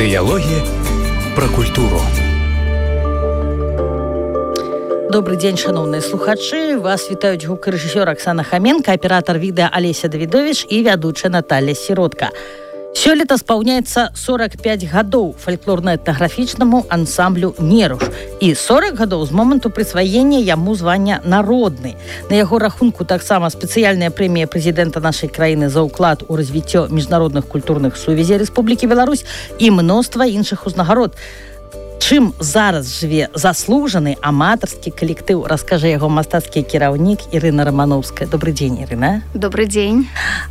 Дыялогі пра культуру. Добрый день, шановные слухачы. Вас вітаюць гукарэжысёр Оксана Хоменко, аператор відэа Олеся Давідович і вядучая Наталья Сиротка. Сёлета спаўняецца 45 гадоў фальклорна-этнаграфічнаму ансамблю «Неруш» і 40 гадоў з моманту прысваення яму звання «Народны». На яго рахунку таксама спецыяльная прэмія прэзідэнта нашай краіны за ўклад у развіццё міжнародных культурных сувязей Рэспублікі Беларусь і мноства іншых узнагарод. Чым зараз жыве заслужаны аматарскі калектыў, раскажа яго мастацкі кіраўнік Ірына Рамановская. Добрый дзень, Ірына. Добрый дзень.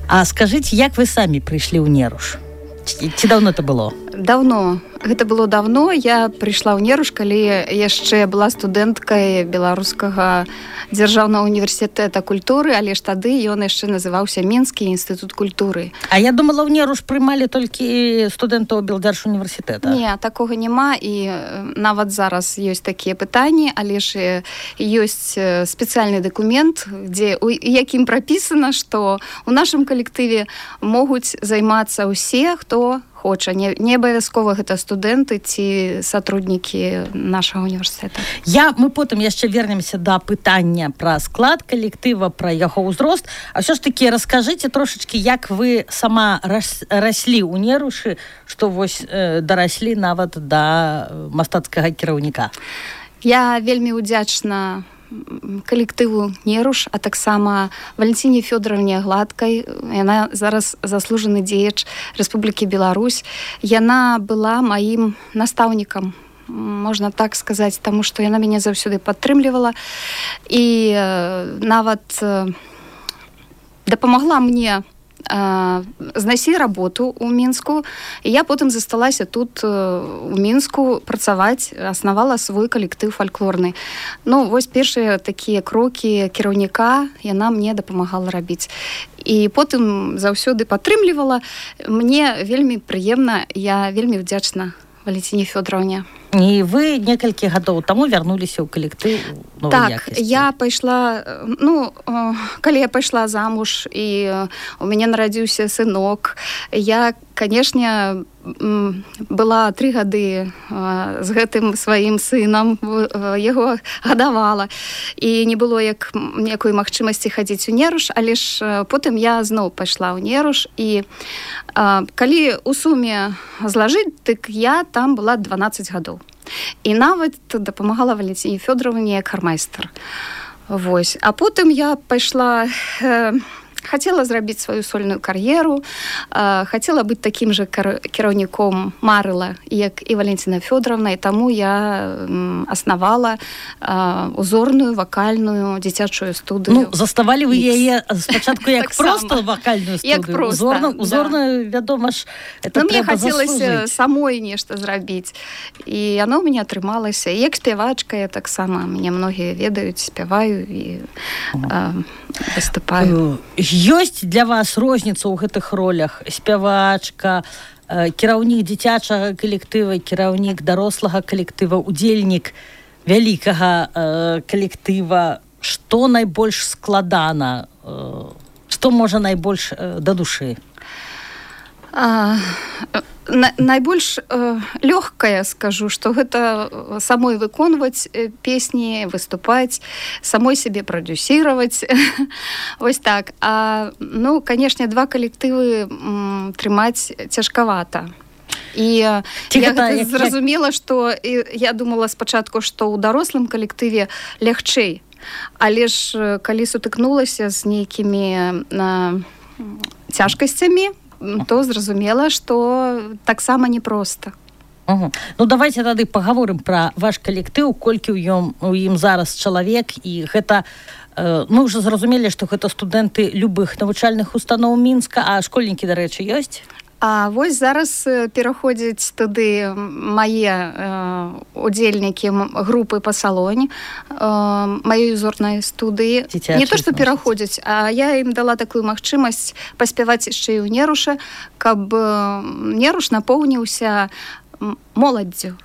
А скажыце, як вы самі прыйшлі ў Неруш? Ці даўно это было? Даўно. Гэта было давно. Я прыйшла ў Неруш, калі яшчэ была студэнткай Беларускага дзяржаўнага універсітэта культуры, але ж тады ён яшчэ называўся Мінскі інстытут культуры. А я думала, ў Неруш прымалі толькі студэнтаў Белдзяржуніверсітэта. Не, такога няма, і нават зараз ёсць такія пытанні, але ж ёсць спецыяльны дакумент, у якім прапісана, што ў нашым калектыве могуць займацца ўсе, хто хоча. Не абавязкова гэта студэнты ці сотруднікі нашага універсітэта. Мы потым яшчэ вернемся да пытання пра склад калектыва, пра яго ўзрост. А ўсё ж такі раскажыце трошачкі, як вы сама раслі ў Нерушы, што вось дараслі нават да мастацкага кіраўніка. Я вельмі ўдзячна калектыву «Неруш», а таксама Валентине Фёдоровне Гладкай. Яна зараз заслужаны дзеяч Рэспублікі Беларусь. Яна была маім настаўнікам, можна так сказаць, таму што яна мяне заўсёды падтрымлівала і нават дапамагла мне знайсці работу ў Мінску, і я потым засталася тут у Мінску працаваць, аснавала свой калектыў фальклорны. Вось першыя такія крокі кіраўніка яна мне дапамагала рабіць. І потым заўсёды падтрымлівала. Мне вельмі прыемна, я вельмі ўдзячна Валентине Фёдоровне. І вы некалькі гадоў таму вярнуліся ў калектыў новай якасці. Я пайшла, калі я пайшла замуж і у мяне нарадзіўся сынок, я, канешне, была 3 гады з гэтым сваім сынам, яго гадавала, і не было ніякой магчымасці хадзіць у Неруш, але ж потым я зноў пайшла ў Неруш, і калі ў суме злажыць, дык я там была 12 гадоў. І нават дапамагала Валентине Фёдоровне як хармайстар. Вось. А потым я пайшла, хацела зрабіць сваю сольную кар'еру, хацела быць такім жа кіраўніком, марыла, як і Валентина Фёдоровна, і таму я аснавала узорную вакальную дзіцячую студыю. Заставалі вы яе спачатку як проста вакальную студыю? Як проста, узорную, вядома ж, это мне трэба хацелася самой нешта зрабіць. І яно ў мяне атрымалася. І як спявачка я таксама, мяне многія ведаюць, спяваю і выступаю. Ёсць для вас розніца ў гэтых ролях? Спявачка, кіраўнік дзіцячага калектыва, кіраўнік дарослага калектыва, удзельнік вялікага калектыва. Што найбольш складана? Што можа найбольш да душы? Найбольш лёгкая, скажу, што гэта самой выконваць песні, выступаць, самой сябе прадюсіраваць. Вось так. Канешне, 2 калектывы трымаць цяжкавата. І я гэта зразумела, што я думала спачатку, што ў дарослым калектыве лягчэй. Але ж калі сутыкнулася з нейкімі цяжкасцямі, то зразумела, што таксама непроста. Давайте тады пагаворым пра ваш калектыў, колькі ў ім зараз чалавек, і гэта, мы ўжо зразумелі, што гэта студэнты любых навучальных устаноў Мінска, а школьнікі, дарэчы, ёсць? А вось зараз пераходзяць туды мае удзельнікі групы па салоне, маёй узорнай студыі. Не то, што пераходзяць, а я ім дала такую магчымасць паспяваць яшчэ і ў Неруша, каб Неруш напоўніўся моладдзю.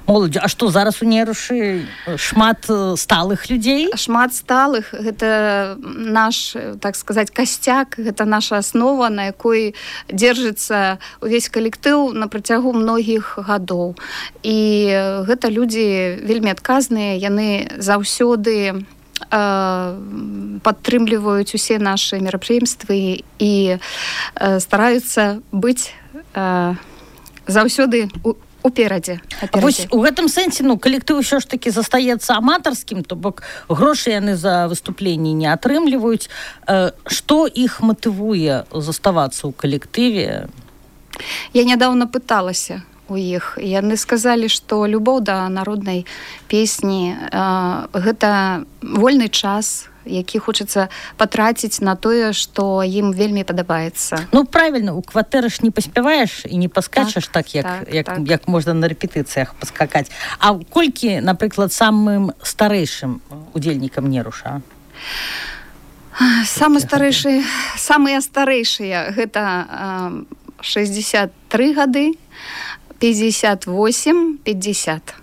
Моладзь, а што зараз у Нерушы шмат сталых людзей? Шмат сталых, гэта наш, так сказаць, касцяк, гэта наша аснова, на якой дзержыцца увесь калектыў на працягу многіх гадоў. І гэта людзі вельмі адказныя, яны заўсёды падтрымліваюць усе нашы мерапрыемствы і стараюцца быць заўсёды уперадзе. Вось у гэтым сэнсе, калектыў ўсё ж такі застаецца аматарскім, то бок грошы яны за выступленні не атрымліваюць. Што іх матывуе заставацца ў калектыве? Я нядаўна пыталася у іх. Яны сказалі, што любоў да народнай песні гэта вольны час, які хочацца патраціць на тое, што ім вельмі падабаецца. Правільна, у кватэры ж не паспяваеш і не паскачаш так, як можна на рэпетыцыях паскакаць. А колькі, напрыклад, самым старэйшым удзельнікам Неруша? Самыя старэйшыя гэта 63 гады, 58, 50.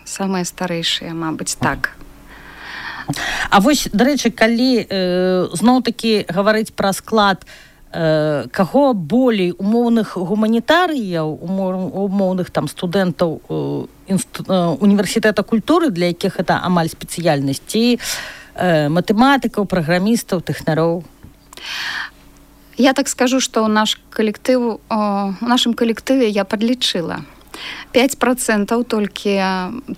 Самыя старэйшыя, мабыць, так. А вось, дарэчы, калі зноў-такі гаварыць пра склад, каго болей умоўных гуманітарыяў, умоўных там студэнтаў універсітэта культуры, для якіх гэта амаль спецыяльнасць, ці матэматыкаў, праграмістаў, тэхнароў? Я так скажу, што у нашым калектыве я падлічыла 5% толькі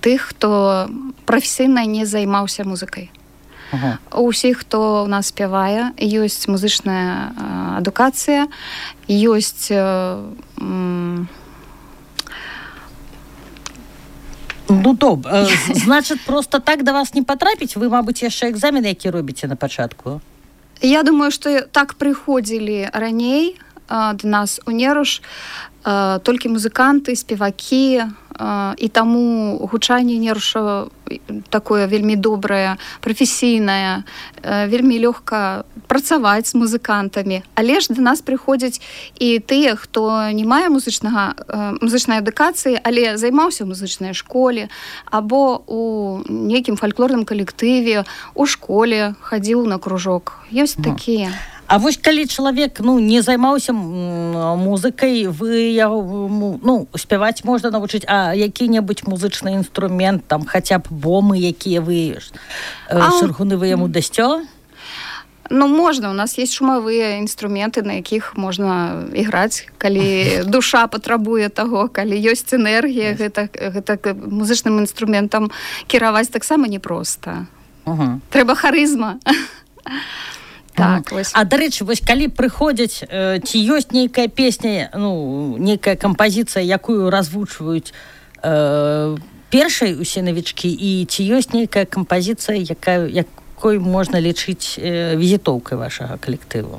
тых, хто прафесійна не займаўся музыкай. У ўсіх, хто ў нас спявае, ёсць музычная адукацыя, ёсць добра. Значыць, проста так да вас не патрапіць? Вы, мабыць, яшчэ экзамен, які робіце на пачатку? Я думаю, што так прыходзілі раней да нас у Неруш толькі музыканты, спевакі, і таму гучанне Неруша такое вельмі добрае, прафесійнае, вельмі лёгка працаваць з музыкантамі. Але ж да нас прыходзяць і тыя, хто не мае музычнай адукацыі, але займаўся ў музычнай школе або у нейкім фальклорным калектыве, у школе хадзіў на кружок. Ёсць такія. А вось калі чалавек не займаўся музыкай, вы яго спяваць можна навучыць, а які-небудзь музычны інструмент, там хаця б бомы, якія вы шаргуны вы яму дасцё? Можна, у нас есть шумавыя інструменты, на якіх можна іграць, калі душа патрабуе таго, калі ёсць энергія, гэта музычным інструментам кіраваць таксама непроста. Трэба харызма. Так, а, дарэчы, вось калі прыходзяць, ці ёсць нейкая песня, нейкая кампазіцыя, якую развучваюць першай усе навічкі, і ці ёсць нейкая кампазіцыя, якой можна лічыць візітоўкай вашага калектыву?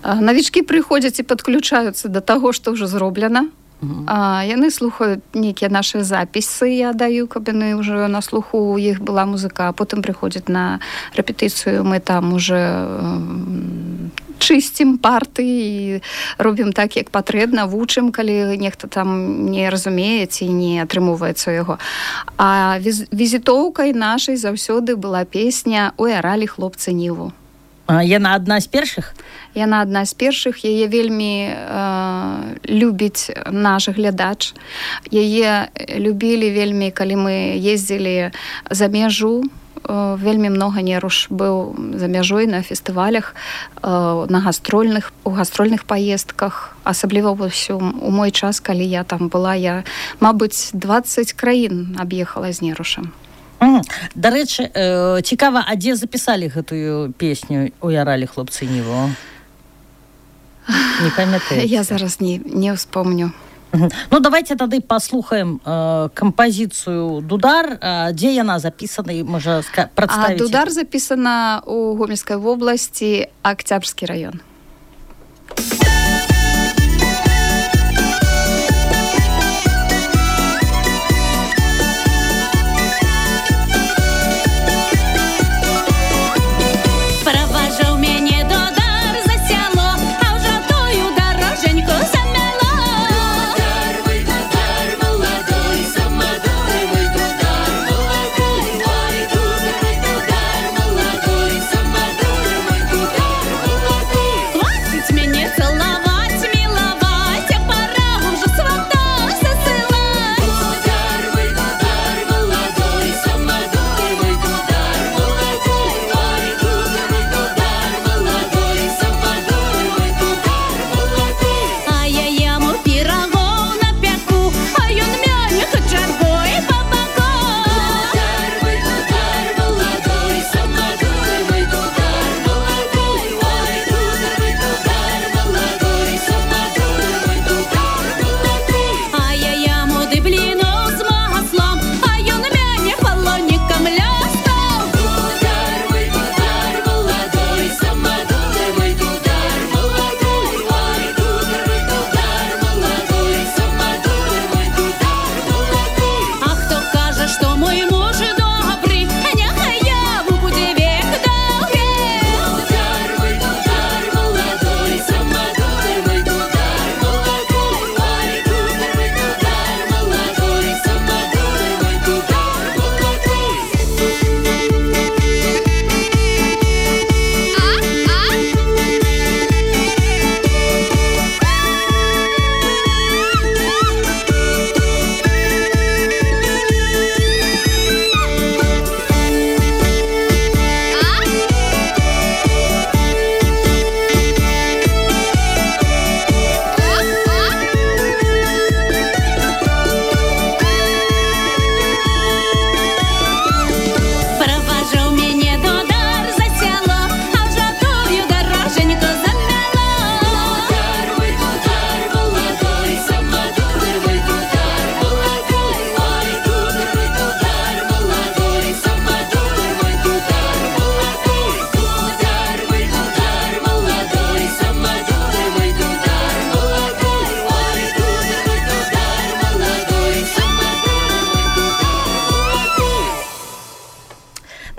Навічкі прыходзяць і падключаюцца да таго, што ўжо зроблена. Яны слухаюць нейкія нашы запісы, я даю, каб яны ўжо на слуху, у іх была музыка, а потым прыходзяць на рэпетыцыю, мы там уже чысцім парты і робім так, як патрэбна, вучым, калі нехта там не разумее ці не атрымоўваецца яго. А візітоўкай нашай заўсёды была песня «Ой, аралі хлопцы ніву». Яна адна з першых? Яна адна з першых. Яе вельмі любіць наш глядач. Яе любілі вельмі, калі мы ездзілі за мяжу. Вельмі многа Неруш быў за мяжой на фестывалях, у гастрольных паездках. Асабліва у мой час, калі я там была, я, мабыць, 20 краін аб'ехала з Нерушам. Дарэчы, цікава, а дзе запісалі гэтую песню «Ой, аралі хлопцы ніву»? Не памятаеце? Я зараз не ўспомню. Давайте тады паслухаем кампазіцыю «Дудар». Дзе яна запісана і можа прадставіць? «Дудар» запісана ў Гомельскай вобласці, Октябрьскі раён. Молодой,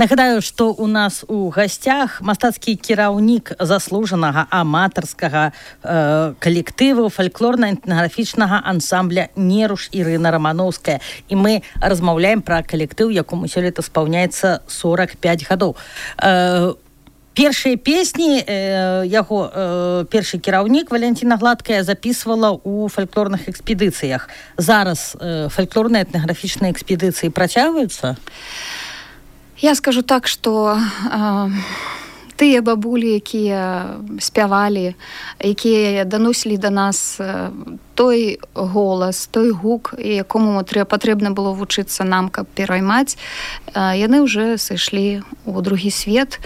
Нагадаю, што у нас у гасцях мастацкі кіраўнік заслужанага аматарскага калектыву фальклорна-этнаграфічнага ансамбля «Неруш» Ірына Рамановская. І мы размаўляем пра калектыў, якому сёлета спаўняецца 45 гадоў. Першыя песні яго першы кіраўнік Валентина Гладкая записывала у фальклорных экспедыцыях. Зараз фальклорныя этнаграфічныя экспедыцыі працягваюцца? Я скажу так, што тыя бабулі, якія спявалі, якія даносілі да нас той голас, той гук, якому патрэбна было вучыцца нам, каб пераймаць, яны ўжо сышлі у другі свет.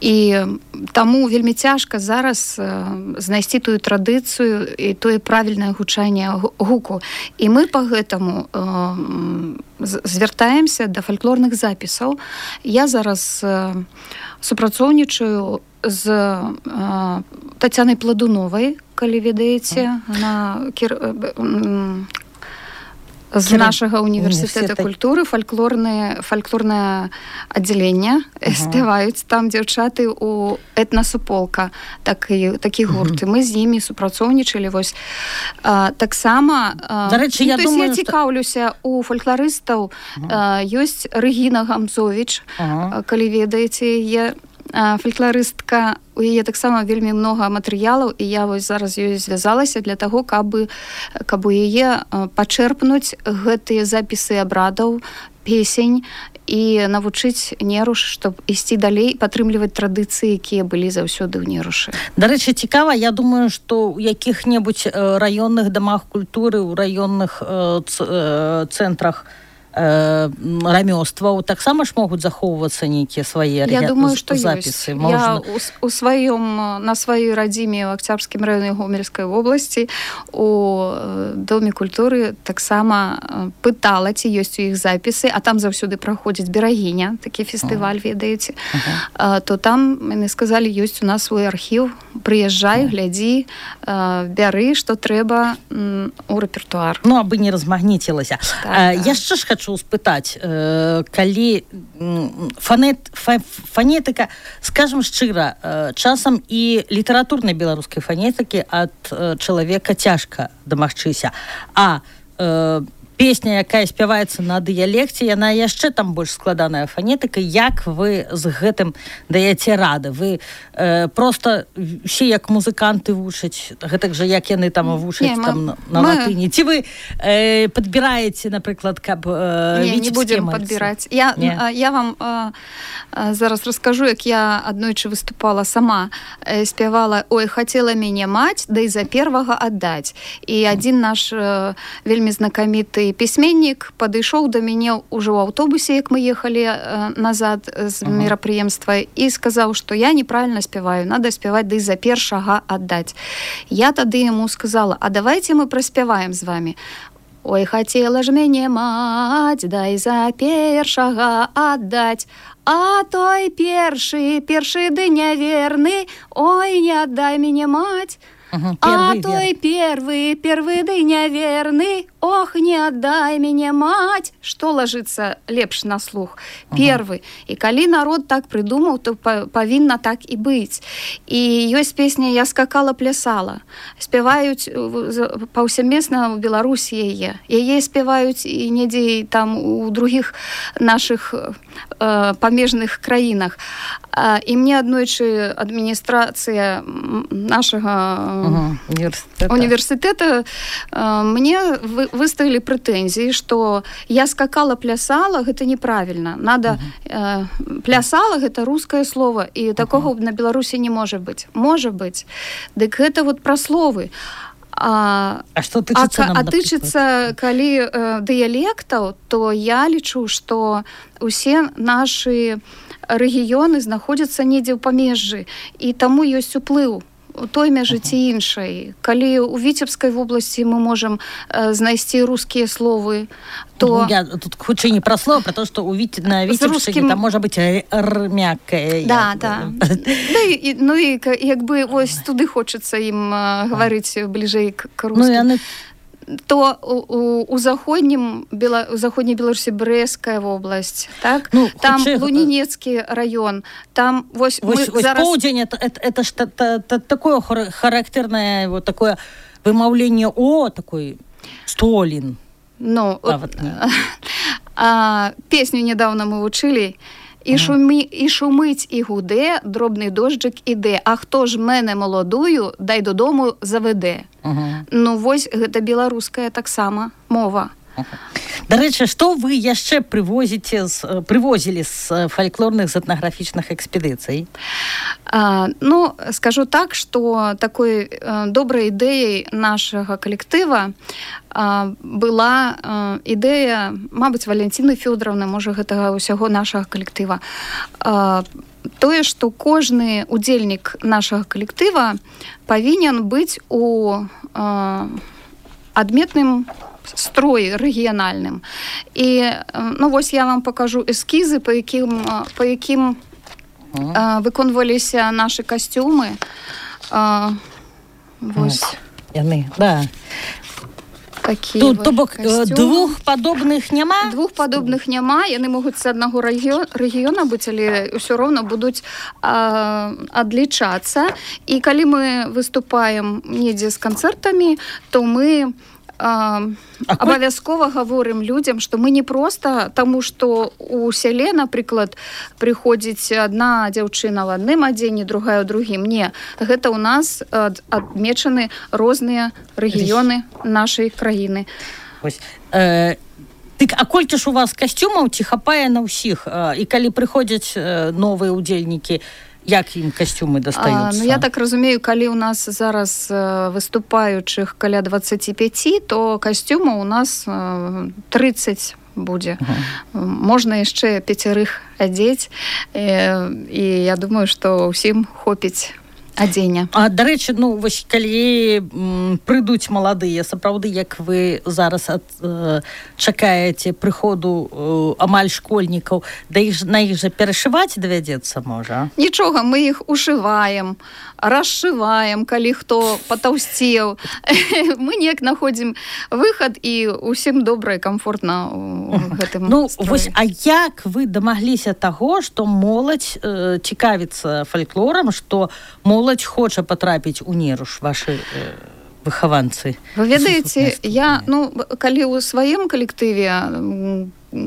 І таму вельмі цяжка зараз знайсці тую традыцыю і тое правільнае гучанне гуку. І мы па гэтаму звяртаемся да фальклорных запісаў. Я зараз супрацоўнічаю з Тацянай Пладуновай, калі ведаеце, з нашага універсітэта культуры фальклорнае аддзяленне спяваюць там дзяўчаты у этнасуполка, такі гурт. Мы з імі супрацоўнічалі. Таксама я цікаўлюся у фальклорыстаў. Ёсць Рэгіна Гамзовіч, калі ведаеце яе, фальклорыстка, у яе таксама вельмі многа матэрыялаў, і я вось зараз ёй звязалася для таго, каб у яе пачэрпнуць гэтыя запісы абрадаў, песень і навучыць Неруш, щоб ісці далей, падтрымліваць традыцыі, якія былі заўсёды ў Нерушы. Дарэчы, цікава, я думаю, што ў якіх-небудзь раённых дамах культуры, у раённых цэнтрах рамёстваў таксама ж могуць захоўвацца нейкія свае запісы. Я думаю, што ёсць. Я на сваёй радзіме ў Акцябрскім раёне Гомельскай вобласці у Доме культуры таксама пытала, ці ёсць у іх запісы, а там заўсёды праходзіць Берагіня, такі фестываль, ведаеце. То там, яны сказалі, ёсць у нас свой архіў, прыязджай, глядзі, бяры, што трэба у рэпертуар. Ну, абы не размагніцілася. Яшчэ ж хочу спытаць, калі фанетыка, скажем шчыра, часам і літаратурнай беларускай фанетыкі ад чалавека цяжка дамагчыся, а песня, якая спяваецца на дыялекце, яна яшчэ там больш складаная фанетыка. Як вы з гэтым даеце рады? Вы просто все як музыканты вучаць, гэтак жа, як яны там вучаць на латыні? Ці вы падбіраеце, напрыклад, каб не будзем падбіраць. Я вам зараз раскажу, як я аднойчы выступала сама, спявала «Ой, хацела мяне маць, да і за первага аддаць». І адзін наш вельмі знакаміты пісьменнік падышоў да мяне ўжо ў аўтобусе, як мы ехалі назад з мерапрыемства, і сказаў, што я неправільна спяваю, надо спяваць да і за першага аддаць. Я тады яму сказала, а давайте мы праспяваем з вами. Ой, хацела ж мяне маць, да і за першага аддаць, а той першы ды няверны, ой, не аддай мяне маць. А той первый ды няверны, ох, не аддай мяне маць. Што ложится лепш на слух? Первый. І калі народ так прыдумаў, то павінна так і быць. І ёсць песня «Я скакала, плясала». Спяваюць паўсямесна ў Беларусі яе. Яе спяваюць і недзе там у другіх нашых памежных краінах. І мне аднойчы адміністрацыя нашага універсітэта мне выставілі прэтэнзіі, што я скакала, плясала, гэта неправільна. Надо плясала, гэта рускае слово, і такога на Беларусі не можа быць. Можа быць. Дык гэта вот пра словы. А тычыцца, калі дыялектаў, то я лічу, што усе нашы рэгіёны знаходзяцца недзе ў памежжы, і таму ёсць уплыў у той мяжы ці іншай. Калі ў Віцебскай вобласці мы можам знайсці рускія словы, то... Я тут хутчэй не пра слова, пра то, што на Віцебшчыне там можа быць мяккае. Да. Ну і як бы ось туды хочацца ім гаварыць бліжэй к рускім. то у заходняй Беларусі Брэская вобласць, так? Ну, там Лунінецкі раён, там вось зараз... Поўдзень, это ж такое характэрнае вот такое вымаўленне «о», такой «столін». Ну, песню недавно мы вучылі. І шумить, і гуде, дробний дощик іде. А хто ж мене молодую, дай додому заведе. Ну, вось, гэта беларуская таксама мова. Да рэчы, што вы яшчэ прывозілі з фальклорных з этнаграфічных экспедыцый? Ну, скажу так, што такой добрай ідэяй нашага калектыва была ідэя, мабыць, Валентины Фёдоровны, можа, гэтага ўсяго нашага калектыва. Тое, што кожны удзельнік нашага калектыва павінен быць у адметным строй рэгіянальным. І, ну, вось я вам покажу эскізы, па якім выконваліся нашы касцюмы. Вось. Яны, да. Тут, то бок, двух падобных няма? Двух падобных няма. Яны могуць з аднаго рэгіёна быць, але ўсё роўна будуць адлічацца. І калі мы выступаем недзе з канцэртамі, то мы абавязкова гаворым людзям, што мы не проста таму, што у сяле, напрыклад, прыходзіць адна дзяўчына ў адным адзенні, другая ў другім. Не, гэта ў нас адмечаны розныя рэгіёны нашай краіны. Дык, а колькі ж у вас касцюмаў ці хапае на ўсіх? І калі прыходзяць новыя удзельнікі, як ім касцюмы дастаюцца? Ну, я так разумею, калі у нас зараз выступаючых каля 25, то касцюмаў у нас 30 будзе. Можна яшчэ 5 адзець, і я думаю, што ўсім хопіць адзення. А, дарэчы, ну, вось, калі прыйдуць маладыя, сапраўды, як вы зараз чакаеце прыходу амаль школьнікаў, да на іх жа перашываць давядзецца, можа? Нічога, мы іх ушываем, расшываем, калі хто патаўсцеў. Мы неяк находзім выхад, і ўсім добра і камфортна ў гэтым строі. Ну, вось, а як вы дамагліся таго, што моладзь цікавіцца фальклорам, што моладзь хоча патрапіць у Неруш, вашы выхаванцы? Вы ведаеце, я, ну, калі ў сваім калектыве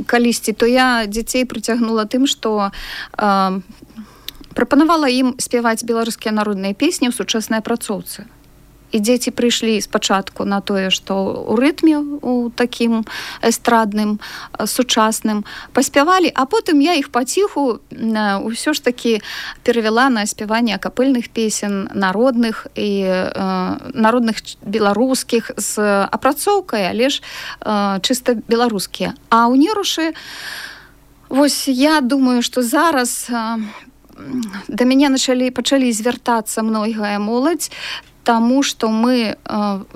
калісьці, то я дзяцей прыцягнула тым, што прапанавала ім спяваць беларускія народныя песні ў сучаснай апрацоўцы. І дзеці прыйшлі спачатку на тое, што ў рытме, у такім эстрадным, сучасным, паспявалі, а потым я іх паціху ўсё ж такі перавяла на спяванне акапельных песен, народных і народных беларускіх з апрацоўкай, але ж чыста беларускія. А ў Нерушы, вось я думаю, што зараз да мяне пачалі звяртацца многая моладзь, таму, што мы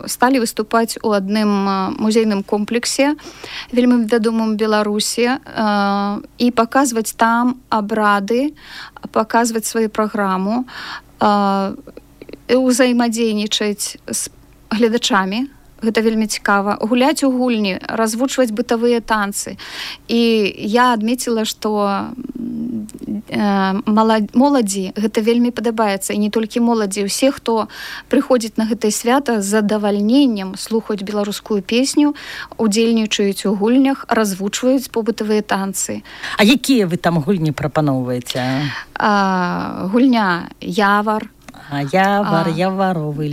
сталі выступаць у адным музейным комплексе, вельмі вядомым Беларусі, і паказваць там абрады, паказваць сваю праграму, узаемадзейнічаць з гледачамі. Гэта вельмі цікава. Гуляць у гульні, развучваць бытавыя танцы. І я адмеціла, што моладзі гэта вельмі падабаецца. І не толькі моладзі, усе, хто прыходзіць на гэтае свята з задавальненнем, слухаюць беларускую песню, удзельнічаюць у гульнях, развучваюць побытавыя танцы. А якія вы там гульні прапаноўваеце? Гульня «Явар». Яваровы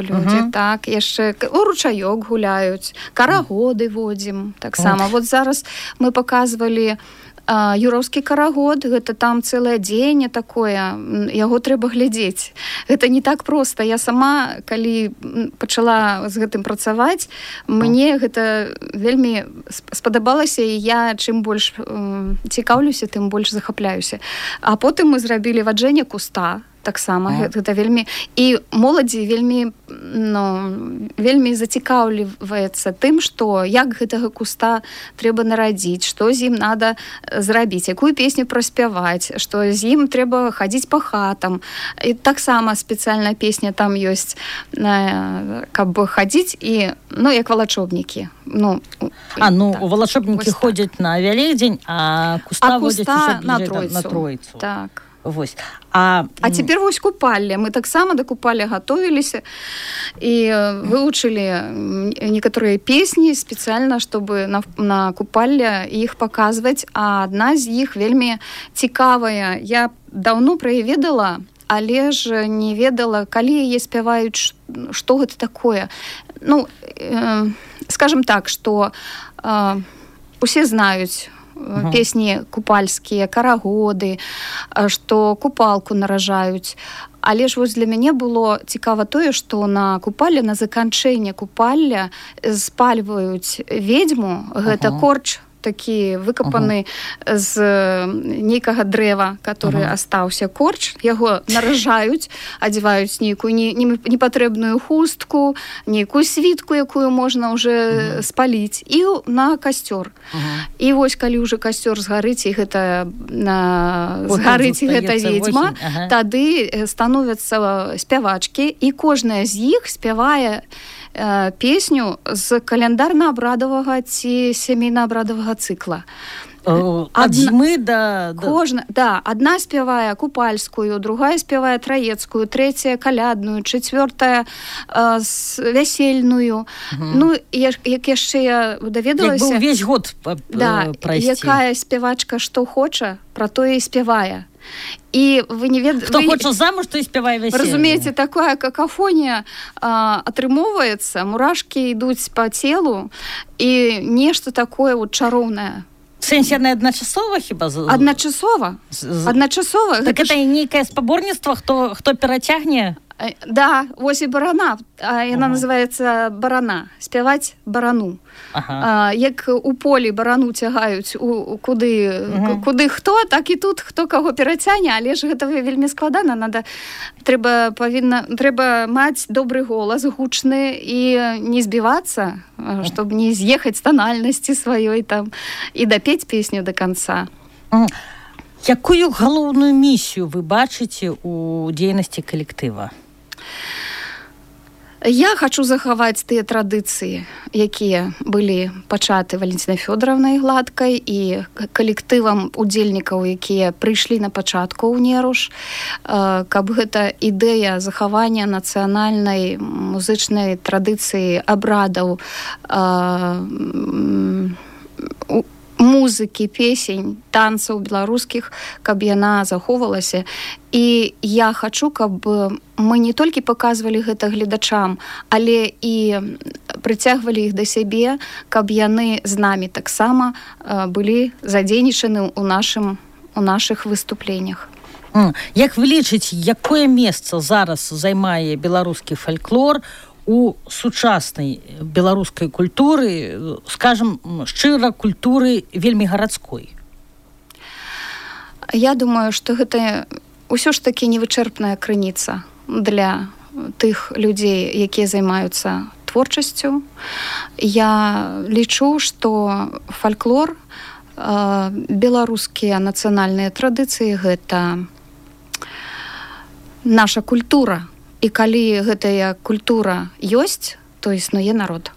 людзі, так, яшчэ у ручаёк гуляюць, карагоды водзім таксама. Вот зараз мы паказвалі юраўскі карагод, гэта там цэлае дзеянне такое, яго трэба глядзець. Гэта не так проста. Я сама, калі пачала з гэтым працаваць, мне гэта вельмі спадабалася, і я чым больш цікаўлюся, тым больш захапляюся. А потым мы зрабілі ваджэнне куста, таксама. Гэта вельмі... І моладзі вельмі зацікаўліваецца тым, што як гэтага куста трэба нарадзіць, што з ім надо зрабіць, якую песню праспяваць, што з ім трэба хадзіць па хатам. І таксама спецыяльная песня там ёсць, каб хадзіць і, як валачобнікі. У валачобнікі ходзяць на Вялікдзень, а куста водзяць на Тройцу. Так. Вось. А цяпер вось купалле. Мы таксама да купалля гатовіліся і вывучылі некаторыя песні спецыяльна, чтобы на купалле іх паказваць, а адна з іх вельмі цікавая. Я даўно пра яе ведала, але ж не ведала, калі яе спяваюць, што гэта такое. Скажем так, што усе знаюць песні купальскія, карагоды, што купалку наражаюць. Але ж вось для мяне было цікава тое, што на купалле, на заканчэнне купалля спальваюць ведзьму, гэта корч такі выкапаны з нейкага дрэва, который астаўся корч, яго наражаюць, адзяваюць нейкую непатрэбную хустку, нейкую світку, якую можна ўжо спаліць, і на касцёр. І вось калі ўжо касцёр згарыць, і гэта згарыць гэта ведзьма, тады становяцца спявачкі, і кожная з іх спявае песню з каляндарна-абрадавага ці сямейна-абрадавага цыкла. Ад зімы да... Адна спявае купальскую, другая спявае траецкую, трэцяя калядную, чацвёртая вясельную. Як яшчэ я даведалася... Як бы ўвесь год прайсці. Якая спявачка што хоча, пра тое і спявае. І вы не ведаеце... Хто хоча замуж, то і спявае вяселле. Разумееце, такая какафонія атрымоўваецца, мурашкі ідуць па целу, і нешта такое чароўнае. В сэнсе адначасова хіба? Адначасова. Так гэта нейкае спаборніцтва, хто перацягне? Да, вось і барана. Яна называецца барана. Спяваць барану. Як у полі барану цягаюць куды хто, так і тут хто каго перацягне, але ж гэта вельмі складана. Трэба маць добры голас, гучны, і не збівацца, щоб не з'ехаць з танальнасці сваёй там і дапець песню до канца. Якую галоўную місію вы бачыце у дзейнасці калектыва? Я хачу захаваць тыя традыцыі, якія былі пачаты Валентинай Фёдоравнай Гладкай і калектывам удзельнікаў, якія прыйшлі на пачатку ў Неруш, каб гэта ідэя захавання нацыянальнай музычнай традыцыі, абрадаў, музыкі, песень, танцаў беларускіх, каб яна захоўвалася. І я хачу, каб мы не толькі паказвалі гэта гледачам, але і прыцягвалі іх да сябе, каб яны з намі таксама былі задзейнічаны ў нашых выступленнях. Як вы лічыце, якое месца зараз займае беларускі фальклор у сучаснай беларускай культуры, скажем, шчыра, культуры вельмі гарадской? Я думаю, што гэта ўсё ж такі невычэрпная крыніца для тых людзей, якія займаюцца творчасцю. Я лічу, што фальклор, беларускія нацыянальныя традыцыі — гэта наша культура. І калі гэтая культура ёсць, то існуе народ.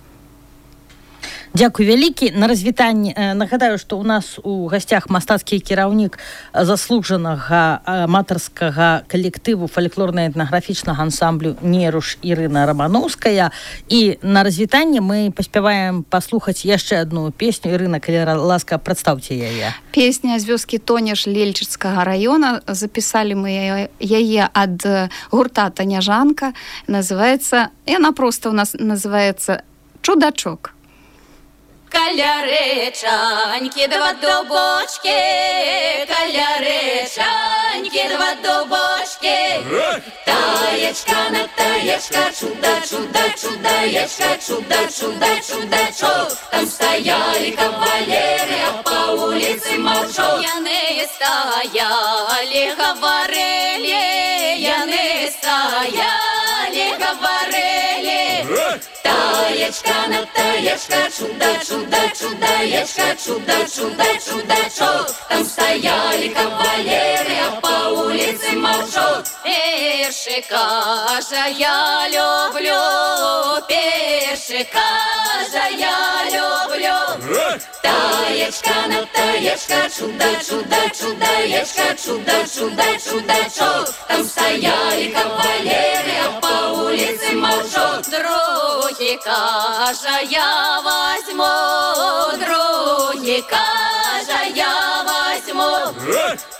Дзякуй вялікі. На развітанне нагадаю, што ў нас у гасцях мастацкі кіраўнік заслужанага аматарскага калектыву фальклорна-этнаграфічнага ансамблю «Неруш» Ірына Рамановская. І на развітанне мы паспяваем паслухаць яшчэ адну песню. Ірына, калі ласка, прадстаўце яе. Песня з вёскі Тонеш Лельчыцкага раёна. Запісалі мы яе ад гурта «Таняжанка». Яна проста у нас называецца «Чудачок». Каля-речаньки, два дубочки, каля-речаньки, два дубочки. Таечка на таечка, чудо-чудо-чудаечка, чудо-чудо-чудачок. Там стояли кавалеры, а по улице молчок. Яны стояли, говорили, стояли, говорили. Таечка, на таечка, чудо, чудо, чудаечка, чудо, чудо, чудачок. Там стояли кавалеры, а по улице молчок. Першика же я люблю, першика же я люблю. Таечка, на таечка, чудо, чудо, чудаечка, чудо, чудо, чудачок. Там стояли кавалеры, а по улице молчок. Другика же я возьму, другика же я возьму.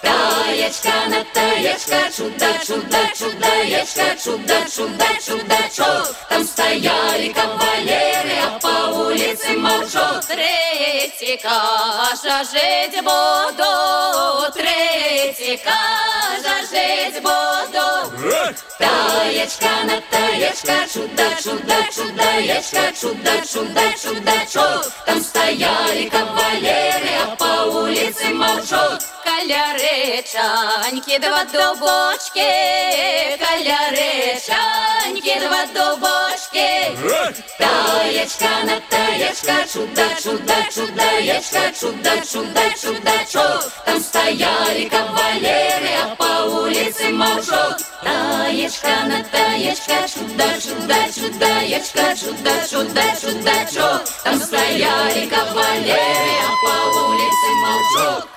Таечка, на таечка, чудо, чудо, чудаечка, чудо, чудо, чудачок. Там стояли кавалеры, а по улице молчок. Третьика же жить буду, третьика же жить буду. Таечка, на таечка, чудо, чудо, чудаечка, чудо, чудо, чудачок. Там стояли кавалеры, а по улице молчок. Каляречаньки, два дубочки, каляречаньки, два дубочки. Таечка, на таечка, чудо, чудо, чудаечка, чудо, чудо, чудачок. Там стояли кавалеры, а по улице молчок. Таечка, на таечка, чудо, чудо, чудаечка, чудо, чудо, чудачок. Там стояли кавалеры, а по улице молчок.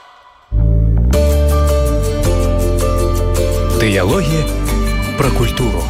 Дыялоги про культуру.